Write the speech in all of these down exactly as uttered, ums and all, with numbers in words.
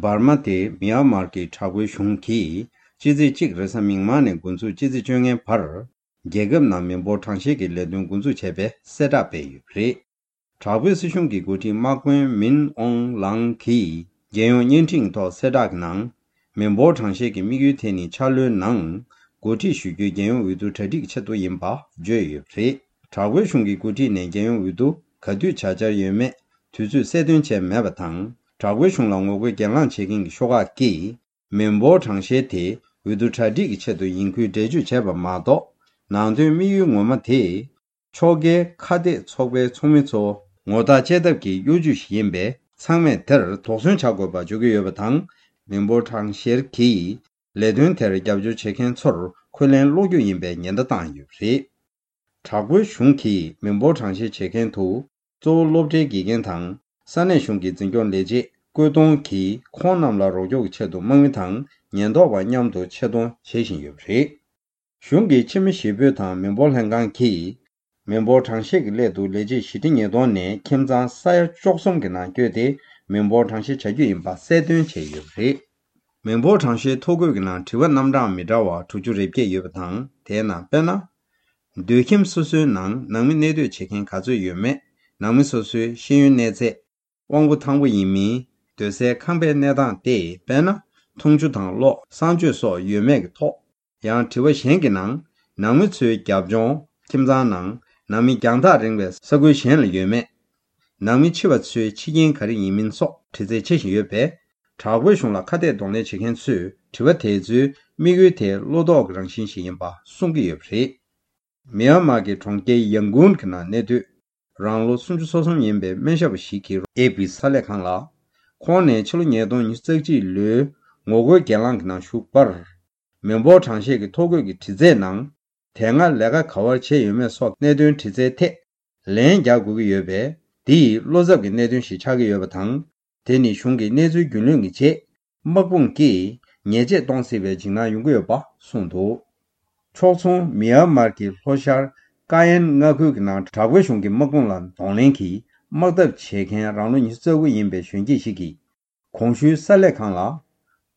འབར་མ་དེ་མི་ཡན་མར་གྱི་དྲག་པོའི་གཞུང་གིས་ཕྱི་ཚེས་གཅིག་རེས་གཟའ་མིག་དམར་ནས་འགོ་འཛུགས་ཕྱི་ཚེས་བཅོ་ལྔའི་བར། རྒྱལ་ཁབ་ནང་མི་འབོར་གྲངས་བཤེར་གྱི་ལས་དོན་འགོ་འཛུགས་བྱས་པའི་གསལ་བསྒྲགས་སྤེལ་ཡོད་པ་རེད། དྲག་པོའི་སྲིད་གཞུང་གི་འགོ་ཁྲིད་དམག་དཔོན་མིན་ཨོང་ལང་གིས་རྒྱལ་ཡོངས་བརྙན་འཕྲིན་ཐོག་གསལ་བསྒྲགས་ཀྱི་ནང་། མི་འབོར་གྲངས་བཤེར་གྱི་དམིགས་ཡུལ་དེ་ནི་འཆར་ལོའི་ནང་འགོ་ཁྲིད་ཞུ་རྒྱུའི་རྒྱལ་ཡོངས་འོས་བསྡུ་གྲ་སྒྲིག་གི་ཆེད་དུ་ཡིན་པ་བརྗོད་ཡོད་པ་རེད། དྲག་པོའི་གཞུང་གི་འགོ་ཁྲིད་ནས་རྒྱལ་ཡོངས་འོས་བསྡུ་ག་དུས་བྱ་འཆར་ཡོད་མེད་དུས་ཚོད་གསལ་སྟོན་བྱས་མེད་པ་དང་། དྲག་པོའི་གཞུང་ལ་ངོ་རྒོལ་གྱེན་ལངས་བྱེད་མཁན་གྱི་ཤོག་ཁག་གིས། མི་འབོར་གྲངས་བཤེར་དེ་འོས་བསྡུ་གྲ་སྒྲིག་གི་ཆེད་དུ་ཡིན་ཁུལ་འགྲེལ་བརྗོད་བྱས་པ་མ་གཏོགས། ནང་དོན་དམིགས་ཡུལ་ངོ་མ་དེ། ཕྱོགས་འགལ་ཁ་གཏད་ཚོགས་པའི་ཚོགས་མི་ཚོ་ངོ་རྟགས་བཅད་ཐབས་ཀྱི་གཡོ་ཇུས་ཤིག་ཡིན་པས། ཚང་མས་དེར་དོགས་ཟོན་བྱ་དགོས་པ་བརྗོད་ཀྱི་ཡོད་པ་དང་། མི་འབོར་གྲངས་བཤེར་གྱིས་ལས་དོན་དེར་རྒྱབ་སྐྱོར་བྱེད་མཁན་ཚོར་འཁོན་ལན་སློག་རྒྱུ་ཡིན་པའི་ཉེན་བརྡ་བཏང་ཡོད་པ་རེད། དྲག་པོའི་གཞུང་གིས་མི་འབོར་གྲངས་བཤེར་བྱེད་མཁན་དུ། གཙོ་བོ་སློབ་གྲྭའི་དགེ་རྒན་དང་ས་གནས་གཞུང་གི་འཛིན་སྐྱོང་ལས་བྱེད་བཀོད་གཏོང་གིས་ཁོང་རྣམས་ལ་རོགས་སྐྱོར་གྱི་ཆེད་དུ་དམག་མི་དང་ཉེན་རྟོག་པ་མཉམ་དུ་ཆེད་གཏོང་བྱེད་བཞིན་ཡོད་པ་རེད། གཞུང་གི་ཕྱི་མི་ཞི་སྤོལ་དང་མི་འབོར་ལྷན་ཁང་གིས། མི་འབོར་གྲངས་བཤེར་གྱི་སླད་དུ་ལས་བྱེད་བཞི་ཁྲི་ཉིས་སྟོང་ནས་ཁྱིམ་ཚང་ས་ཡ་བཅུ་གསུམ་གྱི་ནང་བསྐྱོད་དེ་མི་འབོར་གྲངས་བཤེར་བྱ་རྒྱུ་ཡིན་པ་གསལ་སྟོན་བྱས་ཡོད་པ་རེད། མི་འབོར་གྲངས་བཤེར་ཐོ་འགོད་ཀྱི་ནང་དྲི་བ་རྣམ་གྲངས་མི་འདྲ་བ་དྲུག་ཅུ་རེ་བརྒྱད་ཡོད་པ་དང་། དེའི་ནང་དཔེར་ན། སྡོད་ཁྱིམ་སོ་སོའི་ནང་ནང་མི་གནས་སྡོད་བྱེད་མཁན་ག་ཚོད་ཡོད་མེད། ནང་མི་སོ་སོའི་ཤེས་ཡོན་གནས་ཚད། དབང་པོ་ཐང་པོ་ཡིན་མིན། སྡོད་སའི་ཁང་པའི་གནས་སྟངས་ཏེ། དཔེར་ན། འཐུང་ཆུ་དང་གློག་གསང་སྤྱོད་སོགས་ཡོད་མེད་ཀྱི་ཐོག་ཡང་དྲི་བ་གཞན་གྱི་ནང་། ནང་མི་ཚོའི་རྒྱབ་ལྗོངས། ཁྱིམ་ཚང་ནང་ནང་མི་རྒྱང་ཐག་རིང་བའི་ས་ཁུལ་གཞན་ལ་ཡོད་མེད། ནང་མི་འཆི་བ་ཚོའི་འཆི་རྐྱེན་ག་རེ་ཡིན་མིན་སོགས་དྲི་རྩད་བྱེད་བཞིན་ཡོད་པས། དྲག་པོའི་གཞུང་ལ་ཁ་གཏད་གདོང་ལེན་བྱེད་མཁན་ཚོས་དྲི་བ་དེ་ཚོའི་དམིགས་ཡུལ་དེ་བློ་དོགས་ཀྱི་རང་བཞིན་ཞིག་ཡིན་པ་གསུང་གི་ཡོད་པ་རེད། མི་ཡན་མར་གྱི་གྲོང་ཁྱེར་ཡང་ཀུན་གྱི་ནང་གནས་སྡོད། རང་ལོ་སུམ་ཅུ་སོ་གསུམ་ཡིན་པའི་སྨན་ཞབས་པ་ཞིག་གིས་ཨེ་པི་གསར་ལས་ཁང་ལ། ཁོང་ནས་ཕྱི་ལོ་ཉིས་སྟོང་ཉི་ཤུ་རྩ་གཅིག་ལོའི་ངོ་རྒོལ་གྱེན་ལངས་ཀྱི་ནང་ཞུགས་པར། མི་འབོར་གྲངས་བཤེར་གྱི་ཐོ་འགོད་ཀྱི་དྲི་རྩད་ནང་། དེ་སྔ་ལས་ཀ་ག་བར་བྱས་ཡོད་མེད་སོགས་གནད་དོན་དྲི་རྩད་ཐད། ལན་རྒྱག་དགོས་ཀྱི་ཡོད་པས། འདི་ཡིས་བློ་འཚབ་ཀྱི་གནད་དོན་ཞིག་ཆགས་ཀྱི་ཡོད་པ་དང་། དེ་ནི་གཞུང་གི་གནས་ཚུལ་རྒྱུས་ལོན་གྱི་རྗེས། དམག་དཔུང་གིས་ཉེས་ཆད་གཏོང་སྲིད་པའི་འཇིགས་སྣང་ཡོང་གི་ཡོད་པ་གསུངས་འདུག་ཕྱོགས་མཚུངས་མི་ཡན་མར་གྱི་ལྷོ་ཤར་ཀ་ཡན་མངའ་ཁུལ་གྱི་ནང་དྲག་པོའི་གཞུང་གི་དམག་དཔུང་ལ་གདོང་ལེན་གྱིས་དམག་འཐབ་བྱེད་མཁན་རང་ལོ་ཉི་ཤུ་རྩ་དགུ་ཡིན་པའི་གཞོན་སྐྱེས་ཤིག་གིས། གོང་ཞུས་གསར་ལས་ཁང་ལ།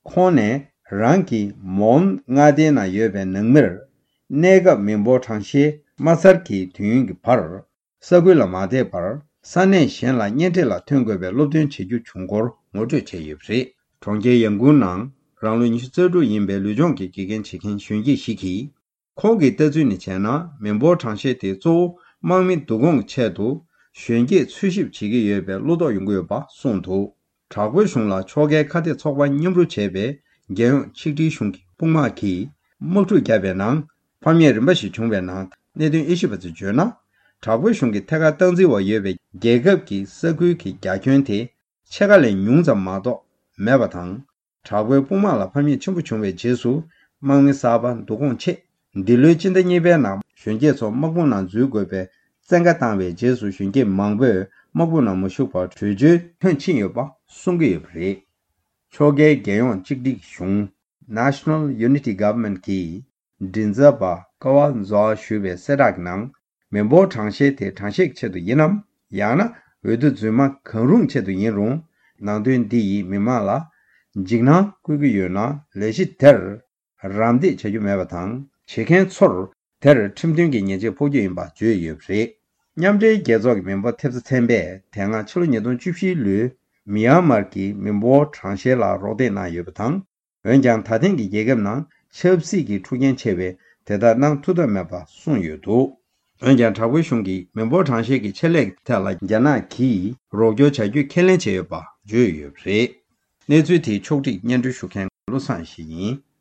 ཁོང་ནས་རང་གི་མོན་མངའ་སྡེའི་ནང་ཡོད་པའི་ནང་མིར། གནས་སྐབས་མི་འབོར་གྲངས་བཤེར་མ་ཚར་གྱི་དུས་ཡུན་གྱི་བར། ས་ཁུལ་ལ་མ་བསྡད་པར། ས་གནས་གཞན་ལ་གཉེན་འཕྲད་ལ་ཐོན་དགོས་པའི་སློབ་སྟོན་བྱེད་རྒྱུ་བྱུང་སྐོར་ངོ་སྤྲོད་བྱས་ཡོད་པ་རེད། གྲོང་ཁྱེར་ཡང་ཀུན་ནང་རང་ལོ་ཉི་ཤུ་རྩ་དྲུག་ཡིན་པའི་ལུས་སྦྱོང་གི་དགེ་རྒན་བྱེད་མཁན་གཞོན་སྐྱེས་ཤིག་གིས། ཁོང་གི་ལྟ་ཚུལ་ནས་བྱས་ན། མི་འབོར་གྲངས་བཤེར་དེ་གཙོ་བོ་དམག་མི་བསྡུ་སྐོང་གི་ཆེད་དུ་གཞོན་སྐྱེས་འཚོལ་ཞིབ་བྱེད་ཀྱི་ཡོད་པའི་བློ་དོགས་ཡོང་གི་ཡོད་པ་གསུངས་འདུག་དྲག་པོའི་གཞུང་ལ་ཕྱོགས་འགལ་ཁ་གཏད་ཚོགས་པ་མཉམ་རུབ་བྱས་པའི་རྒྱལ་ཡོངས་ཆིག་སྒྲིལ་གཞུང་གི་དཔུང་དམག་གིས་དམག་འཁྲུག་བརྒྱབ་པའི་ནང་ཕམ་ཉེས་རིམ་པ་ཞིག་བྱུང་བའི་ནང་། གནད་དོན་དབྱེ་ཞིབ་པ་ཚོས་བརྗོད་ན། དྲག་པོའི་གཞུང་གི་ཐད་ཀར་སྟངས་འཛིན་འོག་ཡོད་པའི་རྒྱལ་ཁབ་ཀྱི་ས་ཁུལ་གྱི་རྒྱ་ཁྱོན་དེ་ཕྱེད་ཀ་ལས་ཉུང་ཙམ་མ་གཏོགས་མེད་པ་དང་། དྲག་པོའི་དཔུང་དམག་ལ་ཕམ་ཉེས་ཆེན་པོ་བྱུང་བའི་རྗེས་སུ། དམག་མི་གསར་པ་བསྡུ་སྐོང་ཆེད། འདི་ལོའི་སྤྱི་ཟླ་གཉིས་པའི་ནང་གཞོན་སྐྱེས་ཚོ་དམག་དཔུང་ནང་འཛུལ་དགོས་པའི་བཙན་བཀའ་བཏང་བའི་རྗེས་སུ། གཞོན་སྐྱེས་མང་པོས་དམག་དཔུང་ནང་མ་ཞུགས་པར་བྲོས་བྱོལ་ཐོན་ཕྱིན་ཡོད་པ་གསུང་གི་ཡོད་པ་རེད། ཕྱོགས་འགལ་རྒྱལ་ཡོངས་གཅིག་སྒྲིལ་གཞུང་། National Unity Government གིས་མགྲིན་ཚབ་པ་ཀ་བ་ཛོ་ཞུས་པའི་གསལ་བསྒྲགས་ཀྱི་ནང་། མི་འབོར་གྲངས་བཤེར་དེ་གྲངས་བཤེར་གྱི་ཆེད་དུ་ཡིན་ནམ། ཡང་ན་འོས་བསྡུ་རྫུན་མ་གང་རུང་ཆེད་དུ་ཡིན་རུང་། ནང་དོན་འདི་ཡིས་མི་མང་ལ་འཇིགས་སྣང་བསྐུལ་གྱི་ཡོད་ན། ལས་གཞི་དེར་རམ་འདེགས་བྱ་རྒྱུ་མེད་པ་དང་། བྱེད་མཁན་ཚོར་དེར་ཁྲིམས་མཐུན་གྱི་ཉེས་ཆད་ཕོག་རྒྱུ་ཡིན་པ་བརྗོད་ཡོད་པ་རེད། མཉམ་འབྲེལ་རྒྱལ་ཚོགས་ཀྱི་མི་འབོར་ཐེབས་རྩ་ཚན་པས་དེ་སྔ་ཕྱི་ལོ་ཉིས་སྟོང་བཅུ་བཞི་ལོའི་མི་ཡན་མར་གྱི་མི་འབོར་གྲངས་བཤེར་ལ་རོགས་འདེགས་གནང་ཡོད་པ་དང་། འོན་ཀྱང་ད་ཐེངས་ཀྱི་རྒྱལ་ཁབ་ནང་ཆབ་སྲིད་ཀྱི་འཁྲུག་རྐྱེན་ཆེ་བས་དེ་ལྟར་གནང་ཐུབ་ཐབས་མེད་པ་གསུངས་ཡོད་འདུག་འོན་ཀྱང་དྲག་པོའི་གཞུང་གིས་མི་འབོར་གྲངས་བཤེར་གྱི་ཆེད་ལས་ཀྱི་ཐད་ལ་རྒྱ་ནག་གིས་རོགས་སྐྱོར་བྱ་རྒྱུ་ཁས་ལེན་བྱས་ཡོད་པ་བརྗོད་ཡོད་པ་རེད། གནས་ཚུལ་དེའི་ཕྱོགས་སྒྲིག་སྙན་སྒྲོན་ཞུ་མཁན་བློ་བཟང་ཡེ་ཤེས་ཡིན།